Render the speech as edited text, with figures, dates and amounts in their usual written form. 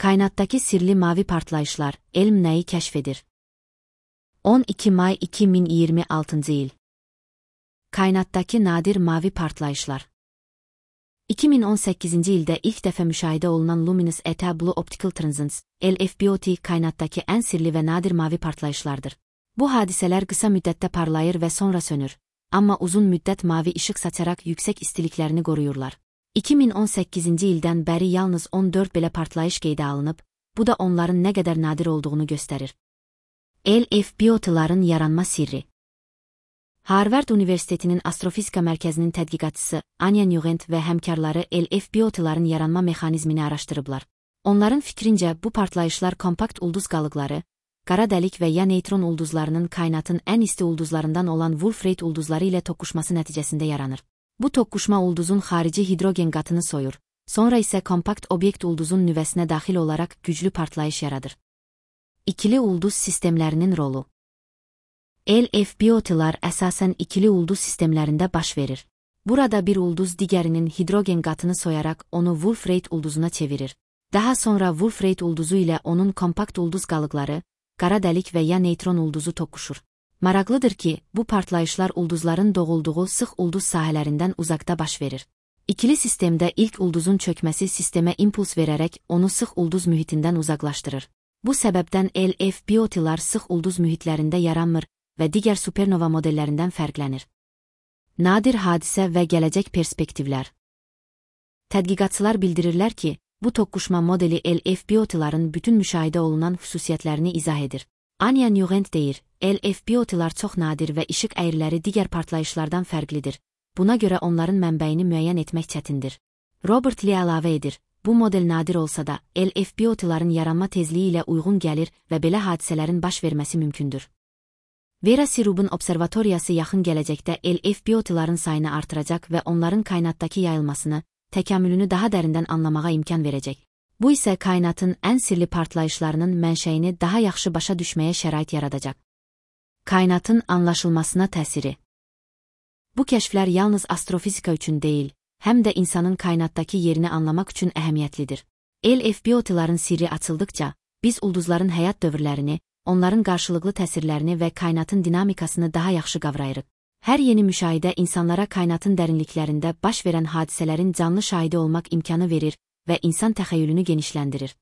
Kainatdakı sirli mavi partlayışlar, elm nəyi kəşf edir? 12 may 2026 il. Kainatdakı nadir mavi partlayışlar. 2018 ildə ilk dəfə müşahidə olunan Luminous ET Blue Optical Transits, LFBOT kainatdakı ən sirli və nadir mavi partlayışlardır. Bu hadisələr qısa müddətdə parlayır və sonra sönür, amma uzun müddət mavi işıq saçaraq yüksək istiliklərini qoruyurlar. 2018 ildən bəri yalnız 14 belə partlayış qeydə alınıb, bu da onların nə qədər nadir olduğunu göstərir. LFBOT-ların yaranma sirri. Harvard Universitetinin Astrofizika Mərkəzinin tədqiqatçısı Anya Nugent və həmkarları LFBOT-ların yaranma mexanizmini araşdırıblar. Onların fikrincə bu partlayışlar kompakt ulduz qalıqları, qara dəlik və ya neytron ulduzlarının kainatın ən isti ulduzlarından olan Wolf-Rayet ulduzları ilə toqquşması nəticəsində yaranır. Bu toqquşma ulduzun xarici hidrogen qatını soyur, sonra isə kompakt obyekt ulduzun nüvəsinə daxil olaraq güclü partlayış yaradır. İkili ulduz sistemlərinin rolu. LFBOT-lar əsasən ikili ulduz sistemlərində baş verir. Burada bir ulduz digərinin hidrogen qatını soyaraq onu Wolf-Rayet ulduzuna çevirir. Daha sonra Wolf-Rayet ulduzu ilə onun kompakt ulduz qalıqları, qara dəlik və ya neytron ulduzu toqquşur. Maraqlıdır ki, bu partlayışlar ulduzların doğulduğu sıx ulduz sahələrindən uzaqda baş verir. İkili sistemdə ilk ulduzun çökməsi sistemə impuls verərək onu sıx ulduz mühitindən uzaqlaşdırır. Bu səbəbdən LFBOT-lar sıx ulduz mühitlərində yaranmır və digər supernova modellərindən fərqlənir. Nadir hadisə və gələcək perspektivlər. Tədqiqatçılar bildirirlər ki, bu toqquşma modeli LFBOT-ların bütün müşahidə olunan xüsusiyyətlərini izah edir. Anya Nugent deyir, LFBOT-lar çox nadir və işıq əyriləri digər partlayışlardan fərqlidir. Buna görə onların mənbəyini müəyyən etmək çətindir. Robert Lee əlavə edir, bu model nadir olsa da, LFBOT-ların yaranma tezliyi ilə uyğun gəlir və belə hadisələrin baş verməsi mümkündür. Vera Sirub'un observatoriyası yaxın gələcəkdə LFBOT-ların sayını artıracaq və onların kainatdakı yayılmasını, təkamülünü daha dərindən anlamağa imkan verəcək. Bu isə kainatın ən sirli partlayışlarının mənşəyini daha yaxşı başa düşməyə şərait yaradacaq. Kainatın anlaşılmasına təsiri. Bu kəşflər yalnız astrofizika üçün deyil, həm də insanın kainatdakı yerini anlamaq üçün əhəmiyyətlidir. LFBOT-ların sirri açıldıqca, biz ulduzların həyat dövrlərini, onların qarşılıqlı təsirlərini və kainatın dinamikasını daha yaxşı qavrayırıq. Hər yeni müşahidə insanlara kainatın dərinliklərində baş verən hadisələrin canlı şahidi olmaq imkanı verir və insan təxəyyülünü genişləndirir.